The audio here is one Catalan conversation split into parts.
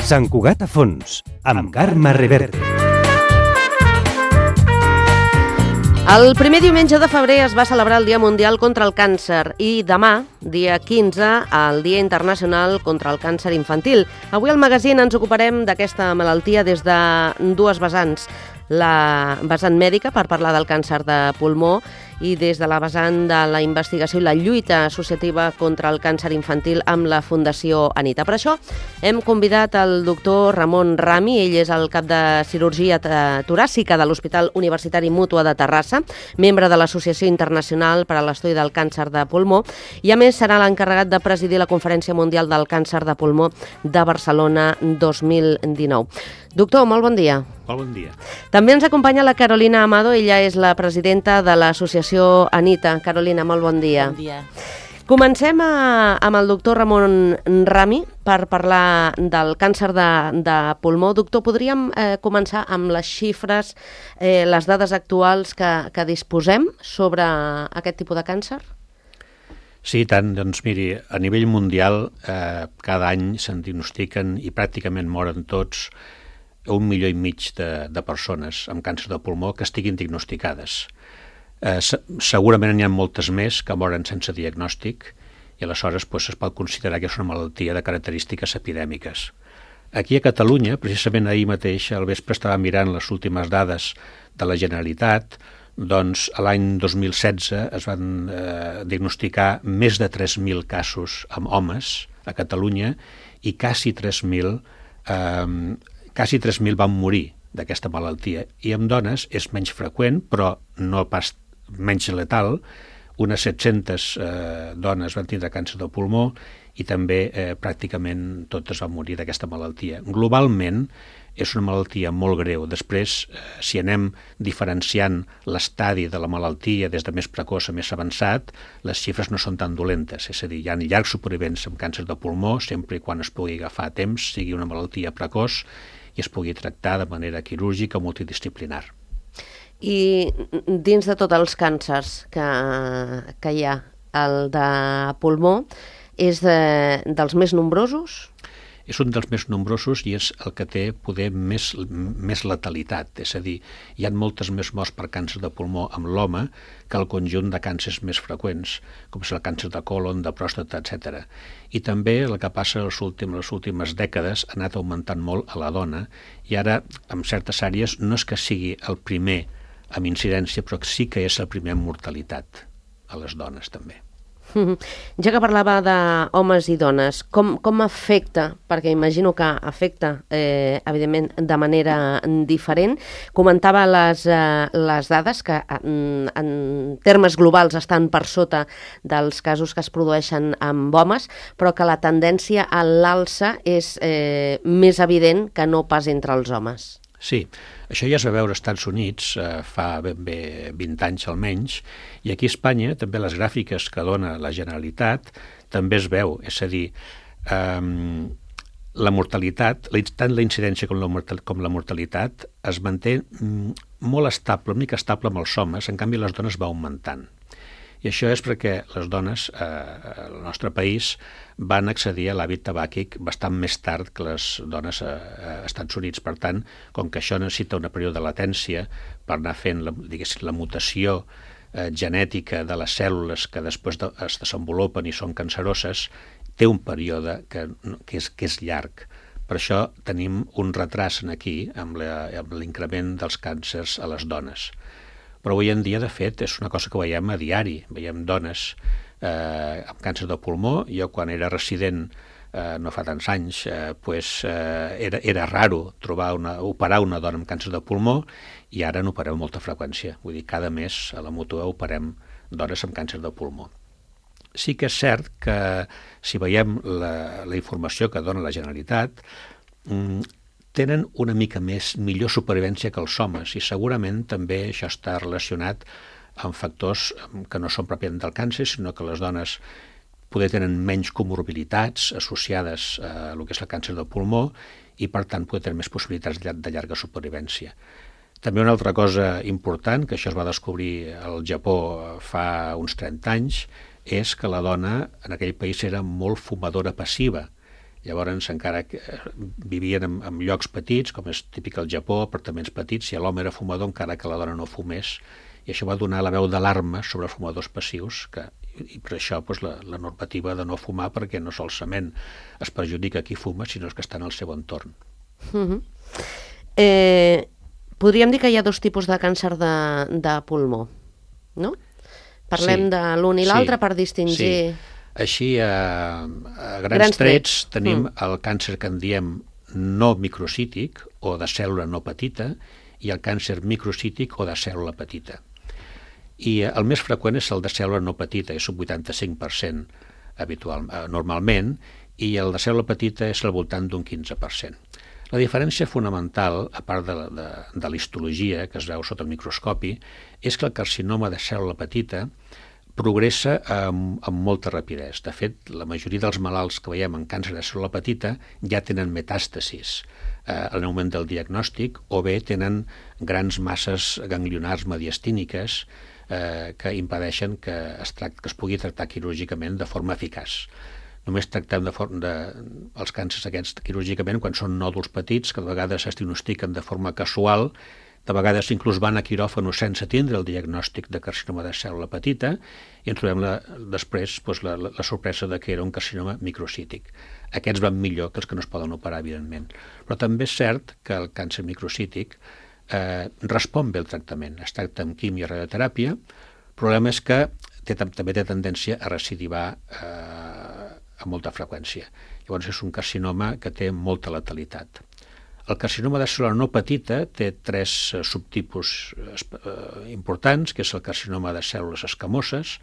Sant Cugat a fons, amb Carme Reverte. El primer diumenge de febrer es va celebrar el Dia Mundial contra el Càncer i demà, dia 15, el Dia Internacional contra el Càncer Infantil. Avui al magazín ens ocuparem d'aquesta malaltia des de dues vessants. La vessant mèdica, per parlar del càncer de pulmó, i des de la vessant de la investigació i la lluita associativa contra el càncer infantil amb la Fundació Anita. Per això hem convidat el doctor Ramon Rami, ell és el cap de cirurgia toràcica de l'Hospital Universitari Mútua de Terrassa, membre de l'Associació Internacional per a l'Estudi del Càncer de Pulmó, i a més serà l'encarregat de presidir la Conferència Mundial del Càncer de Pulmó de Barcelona 2019. Doctor, molt bon dia. Molt bon dia. També ens acompanya la Carolina Amado, ella és la presidenta de l'Associació Anita. Carolina, molt bon dia. Bon dia. Comencem amb el doctor Ramon Rami per parlar del càncer de pulmó. Doctor, podríem començar amb les xifres, les dades actuals que disposem sobre aquest tipus de càncer? Sí, tant. Doncs miri, a nivell mundial cada any se'n diagnostiquen i pràcticament moren tots 1,5 milió de persones amb càncer de pulmó que estiguin diagnosticades. Segurament n'hi ha moltes més que moren sense diagnòstic i aleshores es pot considerar que és una malaltia de característiques epidèmiques. Aquí a Catalunya, precisament ahir mateix, al vespre estava mirant les últimes dades de la Generalitat, doncs l'any 2016 es van diagnosticar més de 3.000 casos amb homes a Catalunya i quasi 3.000 van morir d'aquesta malaltia. I amb dones és menys freqüent, però no pas menys letal. Unes 700 dones van tindre càncer de pulmó i també pràcticament totes van morir d'aquesta malaltia. Globalment és una malaltia molt greu. Després, si anem diferenciant l'estadi de la malaltia des de més precoç a més avançat, les xifres no són tan dolentes. És a dir, hi ha llargs supervivents amb càncer de pulmó, sempre i quan es pugui agafar a temps, sigui una malaltia precoç, i es pugui tractar de manera quirúrgica o multidisciplinar. I dins de tots els càncers que hi ha, el de pulmó és dels més nombrosos? És un dels més nombrosos i és el que té poder més letalitat. És a dir, hi ha moltes més morts per càncer de pulmó amb l'home que el conjunt de càncers més freqüents, com és el càncer de còlon, de pròstata, etc. I també el que passa les últimes dècades ha anat augmentant molt a la dona i ara, en certes àrees, no és que sigui el primer amb incidència, però sí que és el primer amb mortalitat a les dones també. Ja que parlava d'homes i dones, com afecta, perquè imagino que afecta, evidentment, de manera diferent. Comentava les dades que en termes globals estan per sota dels casos que es produeixen amb homes, però que la tendència a l'alça és més evident que no pas entre els homes. Sí, això ja es va veure als Estats Units fa ben bé 20 anys almenys, i aquí a Espanya també les gràfiques que dona la Generalitat també es veu, és a dir, la mortalitat, tant la incidència com la mortalitat es manté molt estable, una mica estable amb els homes, en canvi les dones va augmentant. I això és perquè les dones al nostre país van accedir a l'hàbit tabàquic bastant més tard que les dones als Estats Units. Per tant, com que això necessita un període de latència per anar fent la mutació genètica de les cèl·lules que després es desenvolupen i són canceroses, té un període que és llarg. Per això tenim un retras aquí amb l'increment dels càncers a les dones. Però avui en dia, de fet, és una cosa que veiem a diari. Veiem dones amb càncer de pulmó. Jo, quan era resident, no fa tants anys, era raro operar una dona amb càncer de pulmó i ara n'operem molta freqüència. Vull dir, cada mes a la Mútua operem dones amb càncer de pulmó. Sí que és cert que si veiem la informació que dona la Generalitat, tenen una mica millor supervivència que els homes i segurament també això està relacionat amb factors que no són pròpiament del càncer, sinó que les dones poder tenen menys comorbilitats associades a el que és el càncer de pulmó i per tant poder tenir més possibilitats de llarga supervivència. També una altra cosa important, que això es va descobrir al Japó fa uns 30 anys, és que la dona en aquell país era molt fumadora passiva. Llavors, encara que vivien en llocs petits, com és típic al Japó, apartaments petits, i l'home era fumador encara que la dona no fumés, i això va donar la veu d'alarma sobre fumadors passius, i per això la normativa de no fumar, perquè no solament es perjudica qui fuma, sinó que està en el seu entorn. Podríem dir que hi ha dos tipus de càncer de pulmó, no? Parlem de l'un i l'altre per distingir... Sí. Així, a grans trets, tenim el càncer que en diem no microcític, o de cèl·lula no petita, i el càncer microcític o de cèl·lula petita. I el més freqüent és el de cèl·lula no petita, és un 85% normalment, i el de cèl·lula petita és al voltant d'un 15%. La diferència fonamental, a part de l'histologia, que es veu sota el microscopi, és que el carcinoma de cèl·lula petita progressa amb molta rapidesa. De fet, la majoria dels malalts que veiem en càncer de cèl·lula petita ja tenen metàstasis en el moment del diagnòstic, o bé tenen grans masses ganglionars mediastíniques que impedeixen que es pugui tractar quirúrgicament de forma eficaç. Només tractem els càncers aquests quirúrgicament quan són nòduls petits, que de vegades es diagnostiquen de forma casual, de vegades inclús van a quiròfano sense tindre el diagnòstic de carcinoma de cèl·lula petita, i ens trobem després la sorpresa de que era un carcinoma microcític. Aquests van millor que els que no es poden operar, evidentment. Però també és cert que el càncer microcític respon bé al tractament. Es tracta amb quimio i radioteràpia. El problema és que també té tendència a recidivar amb molta freqüència. Llavors és un carcinoma que té molta letalitat. El carcinoma de cèl·lula no petita té 3 subtipus importants, que és el carcinoma de cèl·lules escamoses,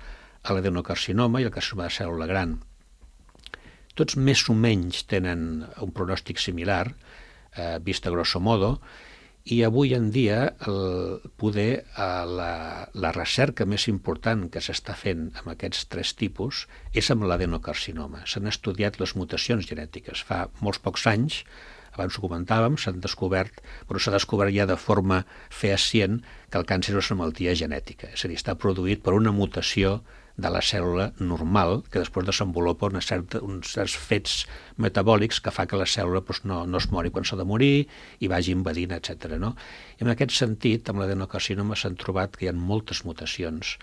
l'adenocarcinoma i el carcinoma de cèl·lula gran. Tots més o menys tenen un pronòstic similar, vist a grosso modo, i avui en dia la recerca més important que s'està fent amb aquests 3 tipus és amb l'adenocarcinoma. S'han estudiat les mutacions genètiques. Fa molts pocs anys, abans ho comentàvem, s'ha descobert ja de forma fehacient que el càncer és una malaltia genètica. És a dir, està produït per una mutació de la cèl·lula normal, que després desenvolupa uns certs fets metabòlics que fa que la cèl·lula no es mori quan s'ha de morir i vagi invadint, etc. I en aquest sentit, amb l'adenocarcinoma s'han trobat que hi ha moltes mutacions.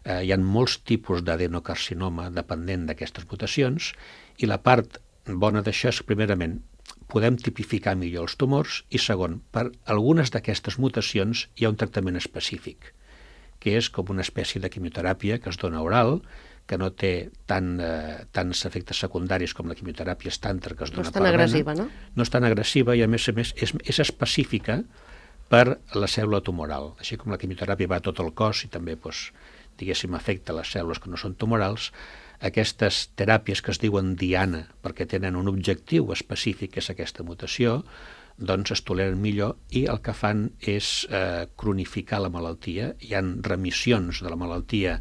Hi ha molts tipus d'adenocarcinoma depenent d'aquestes mutacions, i la part bona d'això és, primerament, podem tipificar millor els tumors, i segon, per algunes d'aquestes mutacions hi ha un tractament específic, que és com una espècie de quimioteràpia que es dona oral, que no té tants efectes secundaris com la quimioteràpia estàndard que es dona per vena. No és tan agressiva, no? No és tan agressiva i, a més és específica per la cèl·lula tumoral. Així com la quimioteràpia va a tot el cos i també, diguéssim, afecta les cèl·lules que no són tumorals, aquestes teràpies que es diuen diana, perquè tenen un objectiu específic, que és aquesta mutació, doncs es toleren millor, i el que fan és cronificar la malaltia. Hi ha remissions de la malaltia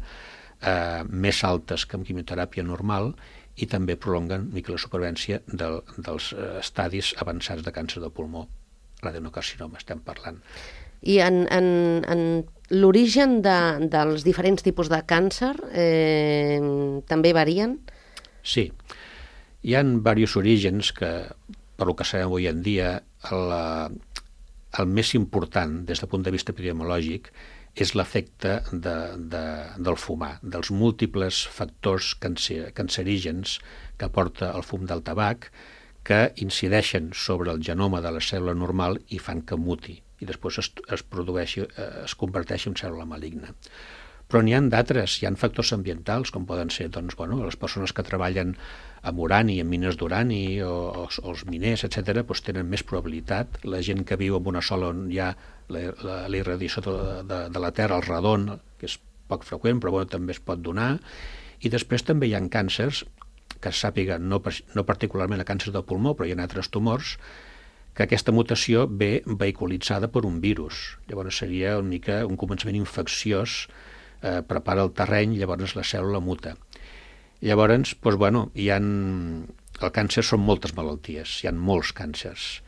més altes que amb quimioteràpia normal, i també prolonguen la supervivència dels estadis avançats de càncer de pulmó, l'adenocarcinoma estem parlant. I en l'origen dels diferents tipus de càncer també varien? Sí, hi ha diversos orígens que, per lo que sabem avui en dia, el més important des del punt de vista epidemiològic és l'efecte del fumar, dels múltiples factors cancerígens que aporta el fum del tabac, que incideixen sobre el genoma de la cèl·lula normal i fan que muti, i després es converteixi en cèl·lula maligna. Però n'hi ha d'altres, hi ha factors ambientals, com poden ser les persones que treballen amb urani, amb mines d'urani, o els miners, etc., tenen més probabilitat. La gent que viu en una zona on hi ha la irradiació de la Terra, el radon, que és poc freqüent, però també es pot donar. I després també hi ha càncers, que es sàpiga, no particularment a càncer del pulmó, però hi ha altres tumors, que aquesta mutació ve vehiculitzada per un virus. Llavors seria una mica un començament infecciós, prepara el terreny, llavors la cèl·lula muta. Llavors, el càncer són moltes malalties, hi ha molts càncers,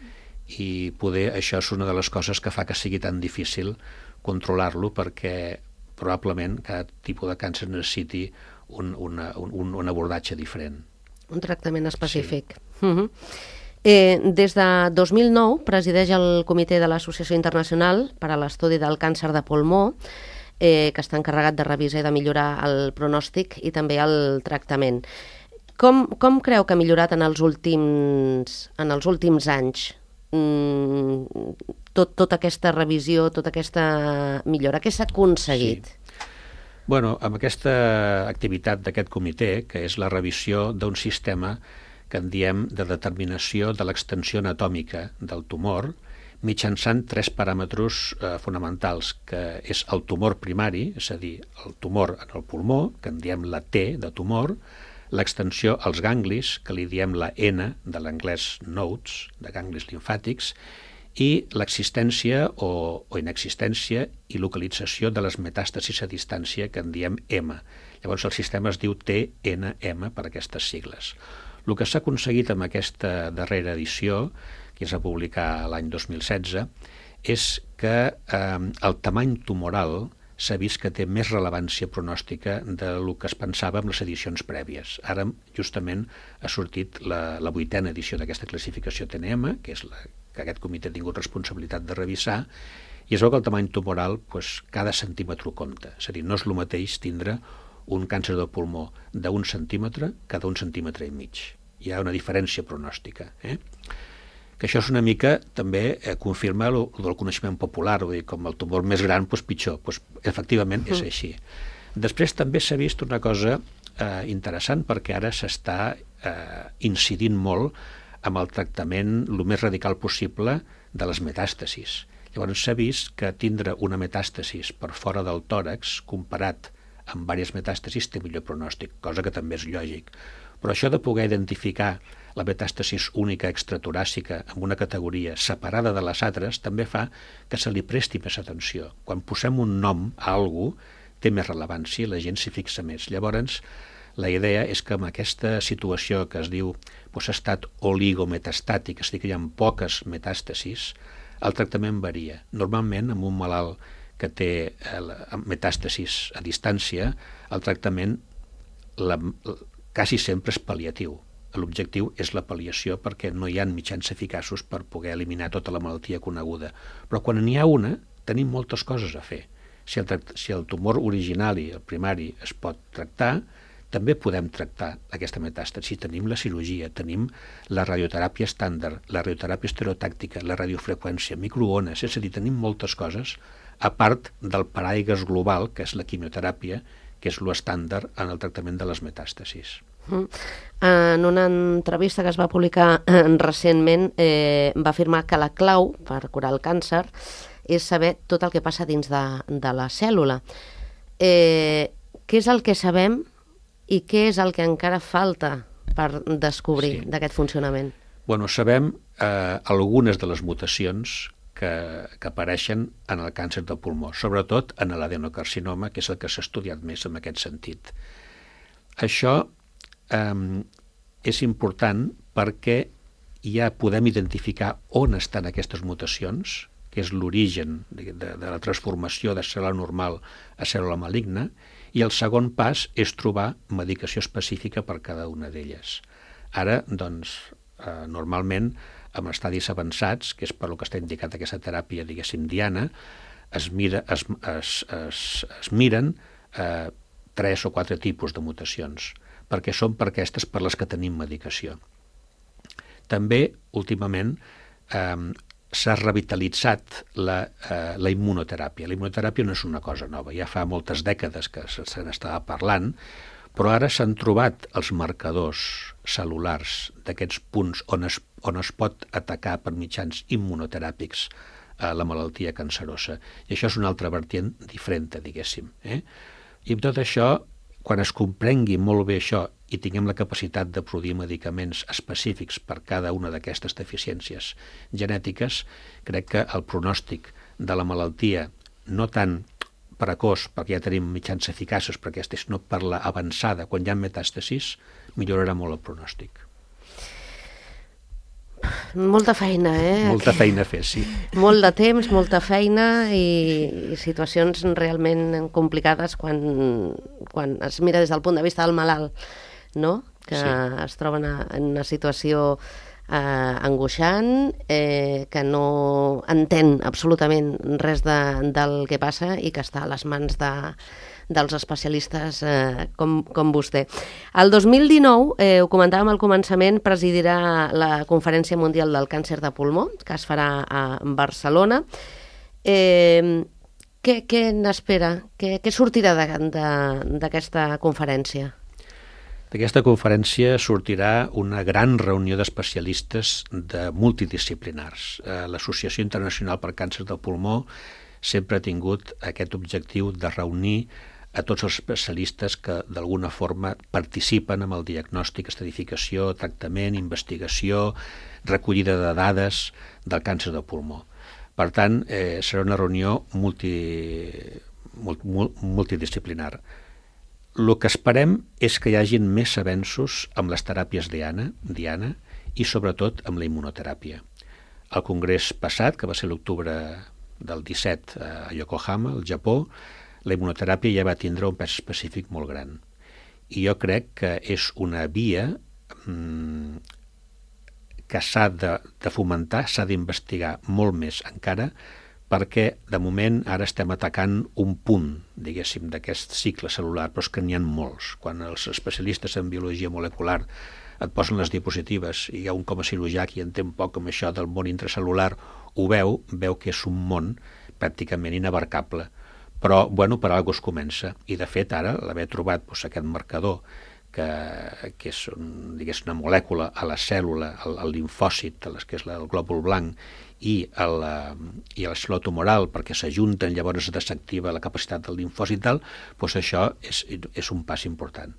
i poder això és una de les coses que fa que sigui tan difícil controlar-lo, perquè probablement cada tipus de càncer necessiti un abordatge diferent. Un tractament específic. Sí. Des de 2009 presideix el Comitè de l'Associació Internacional per a l'Estudi del Càncer de Pulmó, que està encarregat de revisar i de millorar el pronòstic i també el tractament. Com creu que ha millorat en els últims anys tota aquesta revisió, tota aquesta millora? Què s'ha aconseguit? Sí. Bueno, amb aquesta activitat d'aquest comitè, que és la revisió d'un sistema que en diem de determinació de l'extensió anatòmica del tumor, mitjançant 3 paràmetres fonamentals, que és el tumor primari, és a dir, el tumor en el pulmó, que en diem la T de tumor, l'extensió als ganglis, que li diem la N, de l'anglès nodes, de ganglis limfàtics, i l'existència o inexistència i localització de les metàstasis a distància, que en diem M. Llavors el sistema es diu TNM per aquestes sigles. El que s'ha aconseguit amb aquesta darrera edició, que es va publicar l'any 2016, és que el tamany tumoral s'ha vist que té més rellevància pronòstica del que es pensava en les edicions prèvies. Ara, justament, ha sortit la 8a edició d'aquesta classificació TNM, que és la que aquest comitè ha tingut responsabilitat de revisar, i es veu que el tamany tumoral, cada centímetre compta. És a dir, no és el mateix tindre un càncer de pulmó d'1 centímetre que d'1 centímetre i mig. Hi ha una diferència pronòstica. Que això és una mica, també, confirma el del coneixement popular, vull dir, com el tumor més gran, pitjor. Efectivament, és així. Després també s'ha vist una cosa interessant, perquè ara s'està incidint molt amb el tractament el més radical possible de les metàstasis. Llavors s'ha vist que tindre una metàstasis per fora del tòrax, comparat amb diverses metàstasis, té millor pronòstic, cosa que també és lògic. Però això de poder identificar la metàstasis única extratoràcica amb una categoria separada de les altres també fa que se li presti més atenció. Quan posem un nom a algú, té més rellevància i la gent s'hi fixa més. Llavors, la idea és que amb aquesta situació que es diu estat oligometastàtic, és a dir, que hi ha poques metàstasis, el tractament varia. Normalment, amb un malalt que té metàstasis a distància, el tractament quasi sempre és pal·liatiu. L'objectiu és la pal·liació perquè no hi ha mitjans eficaços per poder eliminar tota la malaltia coneguda. Però quan n'hi ha una, tenim moltes coses a fer. Si el tumor original i el primari es pot tractar, també podem tractar aquesta metàstasi. Tenim la cirurgia, tenim la radioteràpia estàndard, la radioteràpia estereotàctica, la radiofreqüència, microones, és a dir, tenim moltes coses, a part del paraigua global, que és la quimioteràpia, que és l'estàndard en el tractament de les metàstasis. En una entrevista que es va publicar recentment, va afirmar que la clau per curar el càncer és saber tot el que passa dins de la cèl·lula. Què és el que sabem i què és el que encara falta per descobrir d'aquest funcionament? Bueno, sabem algunes de les mutacions que apareixen en el càncer del pulmó, sobretot en l'adenocarcinoma, que és el que s'ha estudiat més en aquest sentit. Això és important perquè ja podem identificar on estan aquestes mutacions, que és l'origen de la transformació de cèl·lula normal a cèl·lula maligna, i el segon pas és trobar medicació específica per cada una d'elles. Ara, doncs, normalment, en estadis avançats, que és per lo que està indicat aquesta teràpia, diguéssim, diana, es miren 3 o 4 tipus de mutacions, perquè són per aquestes per les que tenim medicació. També, últimament, s'ha revitalitzat la immunoteràpia. La immunoteràpia no és una cosa nova, ja fa moltes dècades que se n'estava parlant, però ara s'han trobat els marcadors cel·lulars d'aquests punts on es pot atacar per mitjans immunoteràpics la malaltia cancerosa. I això és una altra vertient diferent, diguéssim. I amb tot això, quan es comprengui molt bé això i tinguem la capacitat de produir medicaments específics per cada una d'aquestes deficiències genètiques, crec que el pronòstic de la malaltia, no tant precoç, perquè ja tenim mitjans eficaços per aquesta, sinó per la avançada, quan hi ha metàstasis, millorarà molt el pronòstic. Molta feina, Molta feina a fer, sí. Molt de temps, molta feina i situacions realment complicades quan es mira des del punt de vista del malalt, no? Que es troben en una situació angoixant, que no entén absolutament res del que passa i que està a les mans dels especialistes com vostè. El 2019, ho comentàvem al començament, presidirà la Conferència Mundial del Càncer de Pulmó, que es farà a Barcelona. Què n'espera? Què sortirà d'aquesta conferència? D'aquesta conferència sortirà una gran reunió d'especialistes multidisciplinars. L'Associació Internacional per Càncer del Pulmó sempre ha tingut aquest objectiu de reunir a tots els especialistes que d'alguna forma participen en el diagnòstic, estadificació, tractament, investigació, recollida de dades del càncer de pulmó. Per tant, serà una reunió multidisciplinar. El que esperem és que hi hagin més avenços amb les teràpies diana i sobretot amb la immunoteràpia. Al congrés passat, que va ser l'octubre del 17 a Yokohama, al Japó, la immunoteràpia ja va tindre un pes específic molt gran. I jo crec que és una via que s'ha de fomentar, s'ha d'investigar molt més encara, perquè de moment ara estem atacant un punt, diguéssim, d'aquest cicle celular, però és que n'hi ha molts. Quan els especialistes en biologia molecular et posen les diapositives i hi ha un com a cirurgià que hi entén poc amb això del món intracel·lular, ho veu que és un món pràcticament inabarcable. Però, bueno, per alguna cosa es comença. I, de fet, ara l'haver trobat aquest marcador, que és una molècula a la cèl·lula, al limfòcit, que és el glòbul blanc, i a la cèl·lula tumoral, perquè s'ajunten, llavors es desactiva la capacitat del limfòcit i tal, doncs això és un pas important.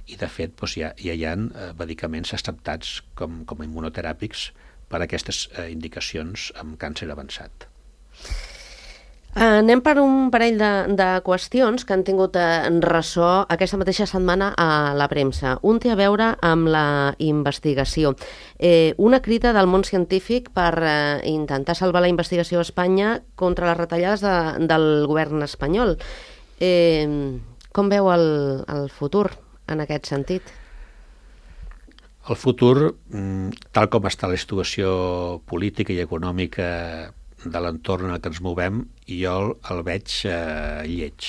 I, de fet, ja hi ha medicaments acceptats com a immunoteràpics per a aquestes indicacions amb càncer avançat. Anem per un parell de qüestions que han tingut ressò aquesta mateixa setmana a la premsa. Un té a veure amb la investigació. Una crida del món científic per intentar salvar la investigació a Espanya contra les retallades del govern espanyol. Com veu el futur en aquest sentit? El futur, tal com està la situació política i econòmica de l'entorn en què ens movem, jo el veig lleig,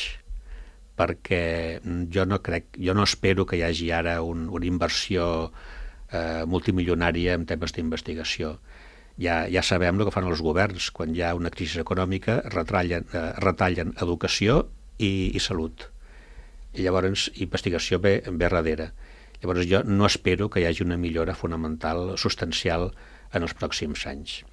perquè jo no espero que hi hagi ara una inversió multimilionària en temes d'investigació. Ja sabem el que fan els governs. Quan hi ha una crisi econòmica retallen educació i salut. I llavors investigació ve darrere. Llavors jo no espero que hi hagi una millora fonamental, substancial, en els pròxims anys.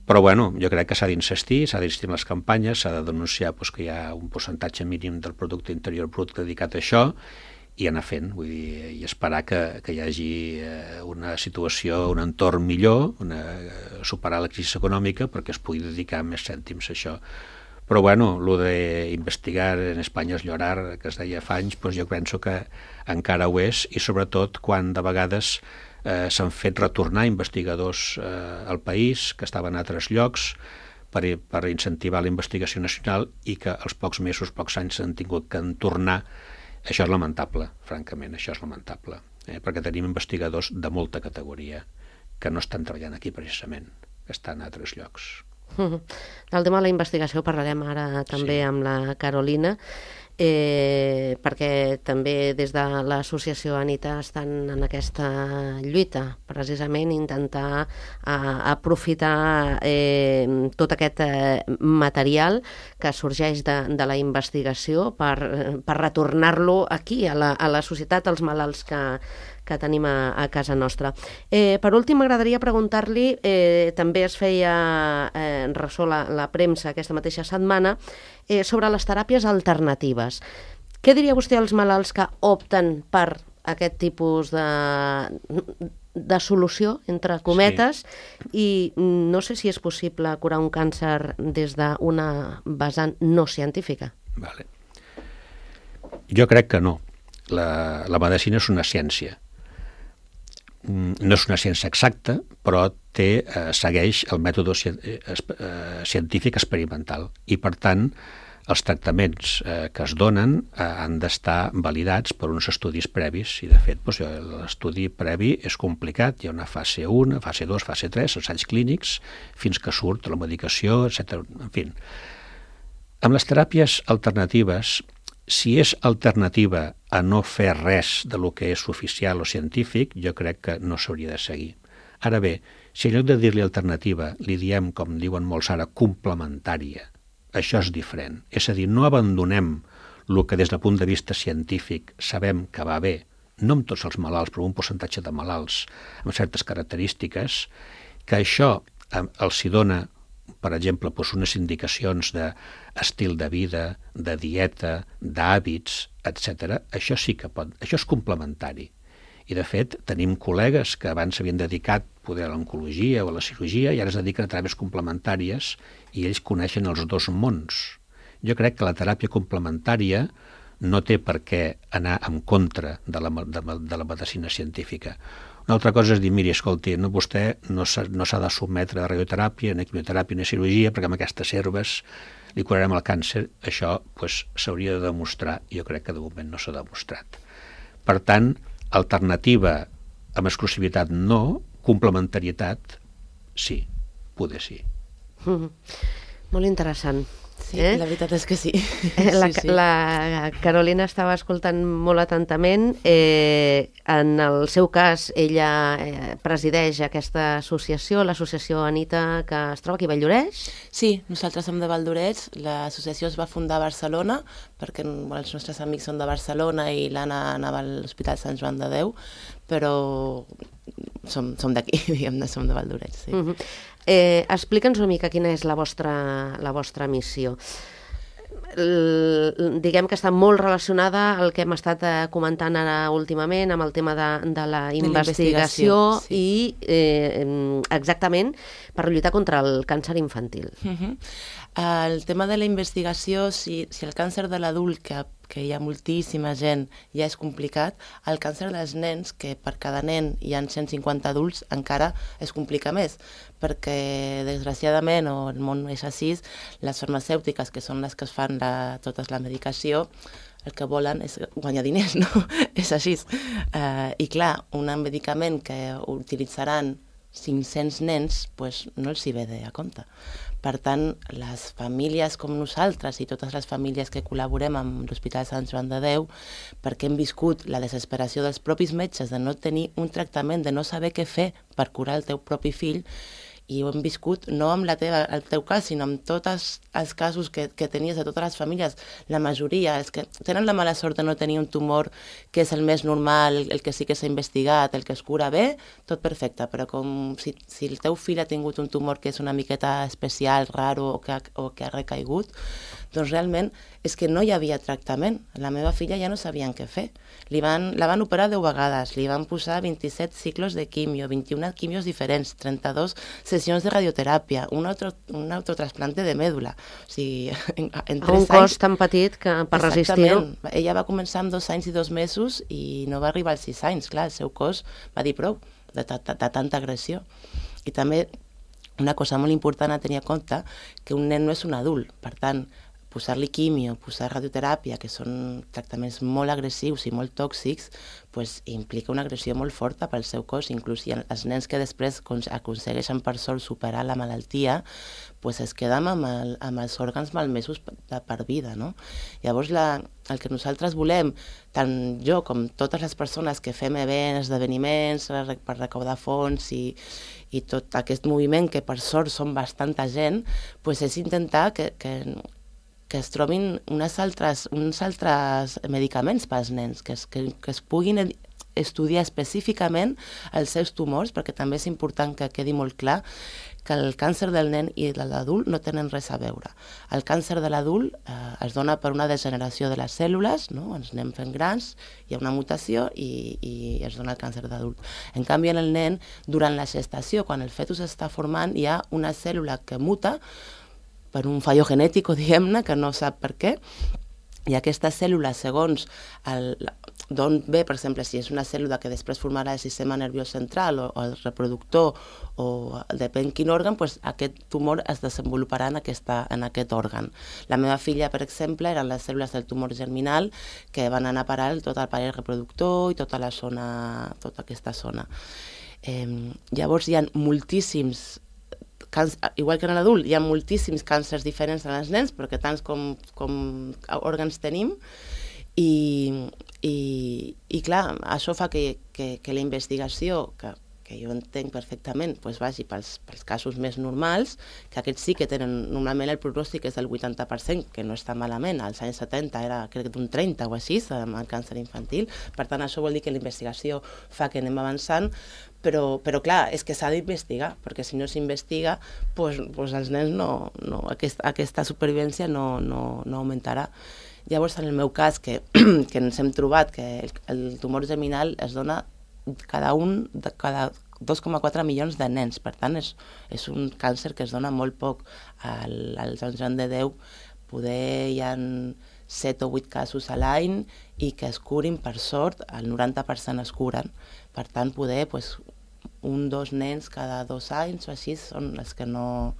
Però bueno, jo crec que s'ha d'insistir en les campanyes, s'ha de denunciar que hi ha un percentatge mínim del producte interior brut dedicat a això i anar fent, vull dir, i esperar que hi hagi una situació, un entorn millor, superar la crisi econòmica perquè es pugui dedicar més cèntims a això. Però bueno, el d'investigar en Espanya és llorar, que es deia fa anys, doncs jo penso que encara ho és, i sobretot quan de vegades s'han fet retornar investigadors al país que estaven a altres llocs per incentivar la investigació nacional i que als pocs mesos, pocs anys s'han tingut que tornar. Això és lamentable, francament, això és lamentable, perquè tenim investigadors de molta categoria que no estan treballant aquí precisament, que estan a altres llocs. Del tema de la investigació parlarem ara també amb la Carolina, perquè també des de l'associació Anita estan en aquesta lluita, precisament intentar aprofitar tot aquest material que sorgeix de la investigació per retornar-lo aquí, a la societat, als malalts que tenim a casa nostra. Per últim, m'agradaria preguntar-li, també es feia ressò la premsa aquesta mateixa setmana, sobre les teràpies alternatives. Què diria vostè als malalts que opten per aquest tipus de solució, entre cometes, i no sé si és possible curar un càncer des d'una vessant no científica? Vale. Jo crec que no. La medicina és una ciència. no és una ciència exacta, però segueix el mètode científic experimental i, per tant, els tractaments que es donen han d'estar validats per uns estudis previs i, de fet, l'estudi previ és complicat. Hi ha una fase 1, fase 2, fase 3, ensaigs clínics, fins que surt la medicació, etc. En fi, amb les teràpies alternatives, si és alternativa a no fer res de lo que és oficial o científic, jo crec que no s'hauria de seguir. Ara bé, si en lloc de dir-li alternativa li diem, com diuen molts ara, complementària, això és diferent. És a dir, no abandonem el que des del punt de vista científic sabem que va bé, no amb tots els malalts, però un percentatge de malalts amb certes característiques, que això els hi dona, per exemple, unes indicacions d'estil de vida, de dieta, d'hàbits, etc. Això sí que pot, això és complementari. I, de fet, tenim col·legues que abans s'havien dedicat poder a l'oncologia o a la cirurgia i ara es dediquen a teràpies complementàries i ells coneixen els dos mons. Jo crec que la teràpia complementària no té per què anar en contra de la medicina científica. Una altra cosa és dir, miri, escolti, vostè no s'ha de sotmetre a radioteràpia, ni quimioteràpia, ni cirurgia, perquè amb aquestes herbes li curarem el càncer. Això s'hauria de demostrar, i jo crec que de moment no s'ha demostrat. Per tant, alternativa amb exclusivitat no, complementarietat sí, poder sí. Molt interessant. Sí, la veritat és que sí. La Carolina estava escoltant molt atentament. En el seu cas, ella presideix aquesta associació, l'associació Anita, que es troba aquí a Valldoreix. Sí, nosaltres som de Valldoreix. L'associació es va fundar a Barcelona, perquè els nostres amics són de Barcelona i l'Anna anava a l'Hospital Sant Joan de Déu, però som d'aquí, diguem-ne, som de Valldoreix, sí. Explica'ns una mica quina és la vostra missió. Diguem que està molt relacionada al que hem estat comentant ara últimament amb el tema de la investigació sí. I exactament per lluitar contra el càncer infantil. El tema de la investigació, si el càncer de l'adult, que hi ha moltíssima gent, ja és complicat, el càncer dels nens, que per cada nen hi ha 150 adults, encara es complica més, perquè desgraciadament, o el món és així, les farmacèutiques, que són les que es fan tota la medicació, el que volen és guanyar diners, no? És així. I clar, un medicament que utilitzaran 500 nens, doncs no els hi ve de a compte. Per tant, les famílies com nosaltres i totes les famílies que col·laborem amb l'Hospital Sant Joan de Déu, perquè hem viscut la desesperació dels propis metges de no tenir un tractament, de no saber què fer per curar el teu propi fill, i ho hem viscut no amb el teu cas, sinó amb tots els casos que tenies de totes les famílies. La majoria, els que tenen la mala sort de no tenir un tumor que és el més normal, el que sí que s'ha investigat, el que es cura bé, tot perfecte, però com si el teu fill ha tingut un tumor que és una miqueta especial, raro o que ha recaigut, doncs realment és que no hi havia tractament. La meva filla ja no sabien què fer. La van operar 10 vegades, li van posar 27 ciclos de quimio, 21 quimios diferents, 32 sessions de radioteràpia, un autotrasplante de mèdula. O sigui, en 3 anys... Un cos tan petit que per resistir-ho... Ella va començar amb 2 anys i 2 mesos i no va arribar als 6 anys. Clar, el seu cos va dir prou de tanta agressió. I també una cosa molt important a tenir en compte, que un nen no és un adult. Per tant, posar-li quimio, posar radioteràpia, que són tractaments molt agressius i molt tòxics, pues, implica una agressió molt forta pel seu cos. Inclús els nens que després aconsegueixen per sort superar la malaltia, pues, es queden amb els òrgans malmesos per vida. No? Llavors, el que nosaltres volem, tant jo com totes les persones que fem events, esdeveniments per recaudar fons i tot aquest moviment, que per sort són bastanta gent, pues, és intentar que es trobin uns altres medicaments pels nens, que es puguin estudiar específicament els seus tumors, perquè també és important que quedi molt clar que el càncer del nen i de l'adult no tenen res a veure. El càncer de l'adult es dona per una degeneració de les cèl·lules, no? Ens anem fent grans, hi ha una mutació i es dona el càncer d'adult. En canvi, en el nen, durant la gestació, quan el fetus està formant, hi ha una cèl·lula que muta per un fallo genètic, diguem-ne, que no sap per què, I aquesta cèl·lula, segons d'on ve, per exemple, si és una cèl·lula que després formarà el sistema nerviós central o el reproductor o depèn quin òrgan, doncs aquest tumor es desenvoluparà en aquest òrgan. La meva filla, per exemple, eren les cèl·lules del tumor germinal que van anar a parar tot el parell reproductor i tota aquesta zona. Llavors hi ha moltíssims, igual que en l'adult, hi ha moltíssims càncers diferents en els nens, perquè tants com òrgans tenim, i clar, això fa que la investigació, que jo entenc perfectament, vagi pels casos més normals, que aquests sí que tenen, normalment el pronòstic és del 80%, que no està malament, als anys 70 era crec d'un 30 o així, amb el càncer infantil, per tant això vol dir que la investigació fa que anem avançant, però clar, és que s'ha d'investigar, perquè si no s'investiga, doncs els nens aquesta supervivència no augmentarà. Llavors, en el meu cas, que ens hem trobat que el tumor germinal es dona cada 2,4 milions de nens. Per tant, és un càncer que es dona molt poc. Als anys de Déu poder hi ha 7 o 8 casos a l'any i que es curin, per sort, el 90% es curen. Per tant, poder, 1-2 nens cada 2 anys o així són els que no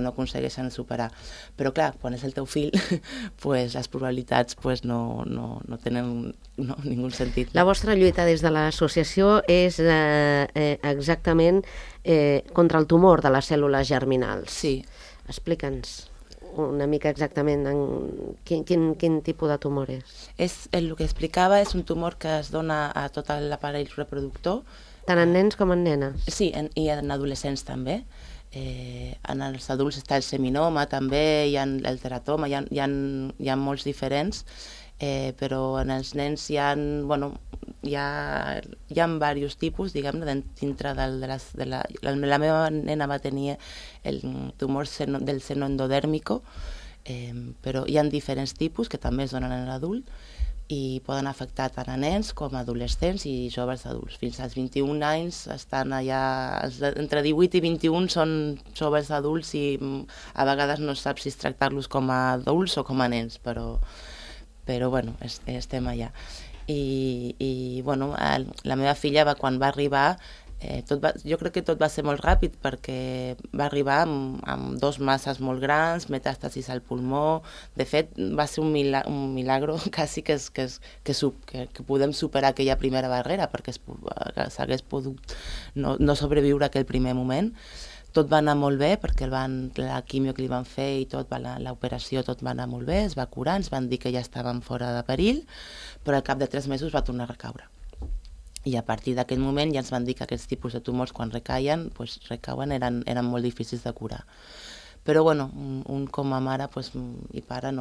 aconsegueixen superar. Però clar, quan és el teu fill, les probabilitats no tenen ningú sentit. La vostra lluita des de l'associació és exactament contra el tumor de les cèl·lules germinals. Sí. Explica'ns una mica exactament quin tipus de tumor és. El que explicava és un tumor que es dona a tot l'aparell reproductor. Tant en nens com en nenes? Sí, i en adolescents també. En els adults està el seminoma també, hi ha el teratoma, hi ha molts diferents, però en els nens hi ha diversos tipus, diguem-ne, dintre la meva nena va tenir el tumor del seno endodèrmico, però hi ha diferents tipus que també es donen en l'adult i poden afectar tant a nens com a adolescents i joves adults. Fins als 21 anys estan allà, entre 18 i 21 són joves adults i a vegades no saps si tractar-los com a adults o com a nens, però bueno, estem allà. I bueno, la meva filla quan va arribar, jo crec que tot va ser molt ràpid perquè va arribar amb 2 masses molt grans, metàstasis al pulmó. De fet, va ser un milagro quasi que podem superar aquella primera barrera perquè s'hagués pogut no sobreviure aquell primer moment. Tot va anar molt bé perquè la quimio que li van fer i tot, l'operació tot va anar molt bé, es va curar, ens van dir que ja estàvem fora de perill, però al cap de 3 mesos va tornar a recaure. I a partir d'aquell moment ja ens van dir que aquests tipus de tumors quan recauen, eren molt difícils de curar. Però bueno, un com a mare i pare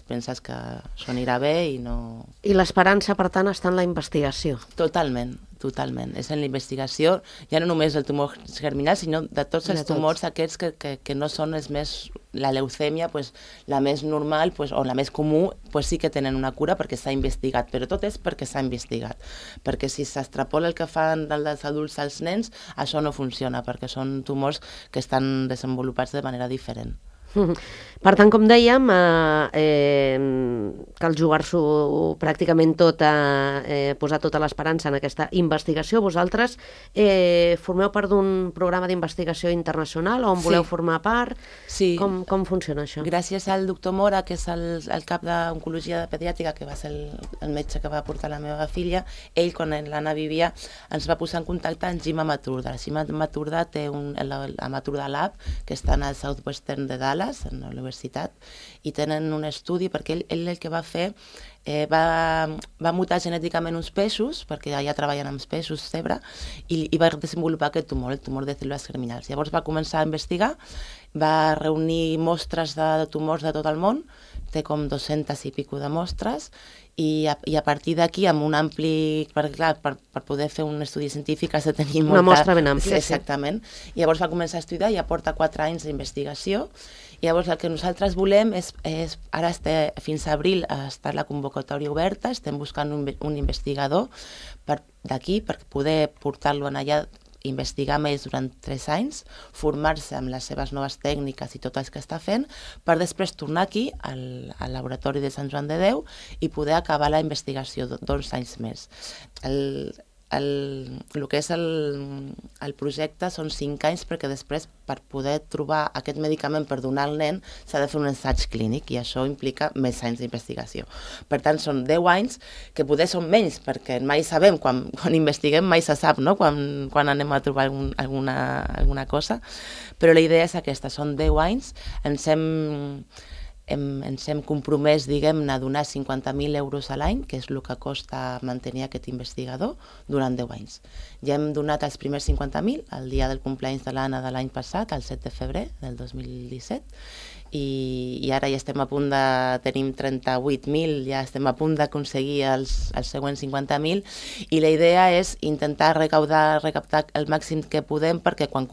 penses que això anirà bé i no... I l'esperança, per tant, està en la investigació. Totalment. És en la investigació, ja no només del tumor germinal, sinó de tots els tumors aquests que no són els més... La leucèmia, la més normal o la més comú, sí que tenen una cura perquè s'ha investigat, però tot és perquè s'ha investigat. Perquè si s'extrapola el que fan dels adults als nens, això no funciona, perquè són tumors que estan desenvolupats de manera diferent. Per tant, com dèiem, cal jugar-s'ho pràcticament tot, posar tota l'esperança en aquesta investigació. Vosaltres formeu part d'un programa d'investigació internacional on voleu formar part? Sí. Com funciona això? Gràcies al doctor Mora, que és el cap d'oncologia pediàtrica, que va ser el metge que va portar la meva filla, ell, quan l'Anna vivia, ens va posar en contacte amb Jim Amaturda. Jim Amaturda té l'Amaturda Lab, que està al Southwestern de Dallas, en la universitat, i tenen un estudi perquè ell el que va fer va mutar genèticament uns peixos, perquè ja treballen amb peixos zebra, i va desenvolupar aquest tumor, el tumor de cèl·lules germinals. Llavors va començar a investigar, va reunir mostres de tumors de tot el món, té com 200 i pico de mostres, i a partir d'aquí, amb un ampli... Perquè, clar, per poder fer un estudi científic has de tenir molta... Una mostra ben àmplia. Exactament. I llavors va començar a estudiar, ja porta 4 anys d'investigació. I llavors el que nosaltres volem és ara fins a abril està la convocatòria oberta, estem buscant un investigador d'aquí per poder portar-lo allà investigar amb ells durant 3 anys, formar-se amb les seves noves tècniques i tot el que està fent, per després tornar aquí, al laboratori de Sant Joan de Déu, i poder acabar la investigació 2 anys més. El que és el projecte són 5 anys, perquè després, per poder trobar aquest medicament per donar al nen, s'ha de fer un ensaig clínic, i això implica més anys d'investigació. Per tant, són 10 anys, que poder són menys, perquè mai sabem, quan investiguem mai se sap, no? Quan anem a trobar alguna cosa, però la idea és aquesta, són 10 anys, ens hem compromès, diguem-ne, a donar 50.000 euros a l'any, que és el que costa mantenir aquest investigador, durant 10 anys. Ja hem donat els primers 50.000 el dia del cumpleaños de l'Anna de l'any passat, el 7 de febrer del 2017, i ara ja estem a punt de... tenim 38.000, ja estem a punt d'aconseguir els següents 50.000, i la idea és intentar recaptar el màxim que podem, perquè quan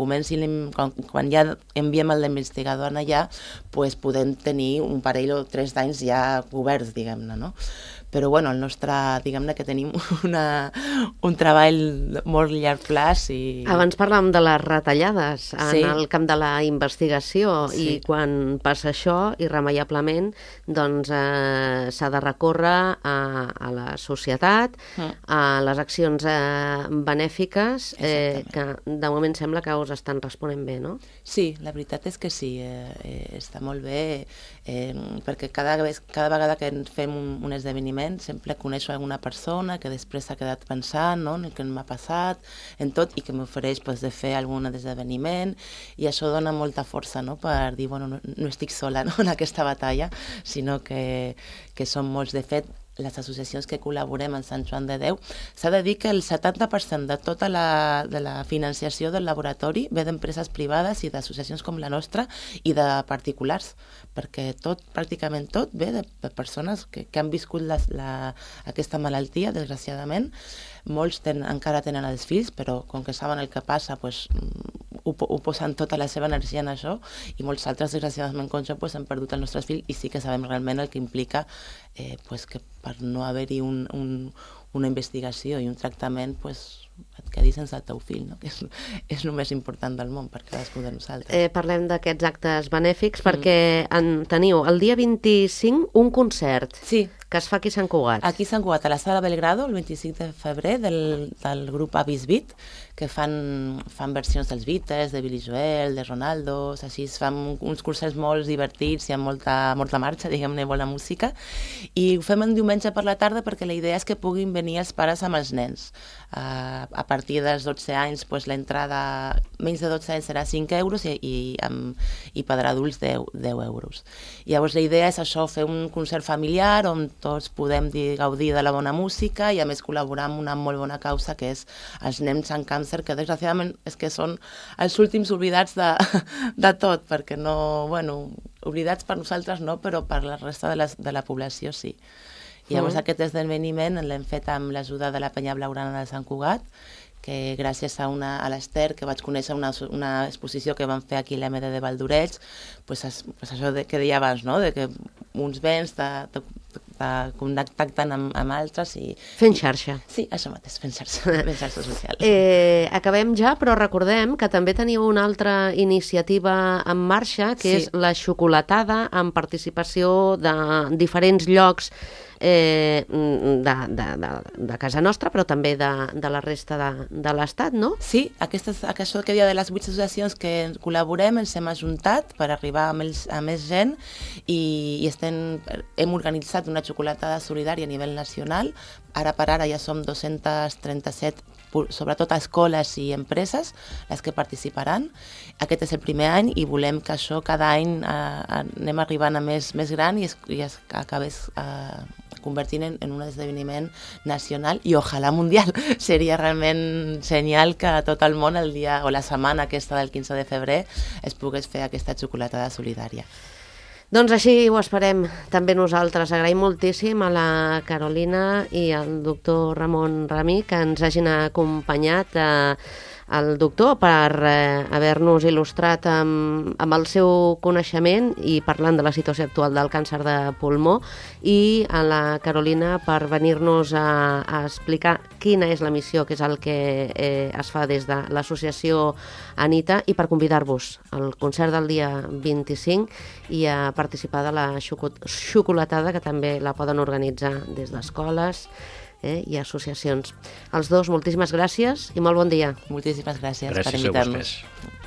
ja enviem l'investigador allà, pues podem tenir un parell o 3 d'anys ja coberts, diguem-ne, no? Però, bueno, el nostre, diguem-ne que tenim un treball molt llarg plaç i... Abans parlàvem de les retallades en el camp de la investigació, i quan passa això, irremeiablement, doncs s'ha de recórrer a la societat, a les accions benèfiques, que de moment sembla que us estan responent bé, no? Sí, la veritat és que sí, està molt bé, perquè cada vegada que fem un esdeveniment sempre coneixo alguna persona que després s'ha quedat pensant, no?, en el que m'ha passat, en tot, i que m'ofereix de fer algun esdeveniment, i això dona molta força, no?, per dir, bueno, no estic sola, no?, en aquesta batalla, sinó que som molts. De fet, les associacions que col·laborem en Sant Joan de Déu, s'ha de dir que el 70% de tota la financiació del laboratori ve d'empreses privades i d'associacions com la nostra i de particulars, perquè pràcticament tot ve de persones que han viscut aquesta malaltia, desgraciadament. Molts encara tenen els fills, però com que saben el que passa, ho posen tota la seva energia en això, i molts altres, desgraciadament, com jo, hem perdut els nostres fills, i sí que sabem realment el que implica que per no haver-hi una investigació i un tractament, et quedis sense el teu fill, no? Que és el més important del món per cadascú de nosaltres. Parlem d'aquests actes benèfics perquè teniu el dia 25 un concert que es fa aquí a Sant Cugat. Aquí a Sant Cugat, a la Sala Belgrado, el 25 de febrer, del grup Avis Beat, que fan versions dels Beatles, de Billy Joel, de Ronaldo, així es fan uns concerts molt divertits i amb molta marxa, diguem-ne, bona música, i ho fem en diumenge per la tarda perquè la idea és que puguin venir els pares amb els nens. A partir dels 12 anys, l'entrada, menys de 12 anys serà 5 euros i per adults 10 euros. Llavors la idea és això, fer un concert familiar on tots podem gaudir de la bona música i a més col·laborar amb una molt bona causa que és els nens amb càncer, que desgraciadament és que són els últims oblidats de tot, perquè no, bueno, oblidats per nosaltres no, però per la resta de la població sí. Llavors aquest esdeveniment l'hem fet amb l'ajuda de la Penya Blaugrana de Sant Cugat, que gràcies a l'Ester, que vaig conèixer una exposició que van fer aquí a l'MD de Valldoreix, això que deia abans, no?, de que uns béns contacten amb altres i... Fent xarxa. Sí, això mateix, fent xarxa social. Acabem ja, però recordem que també teniu una altra iniciativa en marxa, que és la xocolatada, amb participació de diferents llocs de casa nostra, però també de la resta de l'Estat, no? Sí, això que dia de les 8 associacions que col·laborem ens hem ajuntat per arribar a més gent i hem organitzat una xocolatada solidària a nivell nacional. Ara per ara ja som 237, sobretot escoles i empreses, les que participaran. Aquest és el primer any i volem que això cada any anem arribant a més gran i es acabés convertint en un esdeveniment nacional i ojalà mundial. Seria realment genial que a tot el món el dia o la setmana aquesta del 15 de febrer es pogués fer aquesta xocolatada solidària. Doncs així ho esperem també nosaltres. Agraïm moltíssim a la Carolina i al doctor Ramon Ramí que ens hagin acompanyat al doctor per haver-nos il·lustrat amb el seu coneixement i parlant de la situació actual del càncer de pulmó, i a la Carolina per venir-nos a explicar quina és la missió, que és el que es fa des de l'associació Anita, i per convidar-vos al concert del dia 25 i a participar de la xocolatada, que també la poden organitzar des d'escoles i associacions. Els dos, moltíssimes gràcies i molt bon dia. Moltíssimes gràcies per Gràcies a invitar-nos. vostès.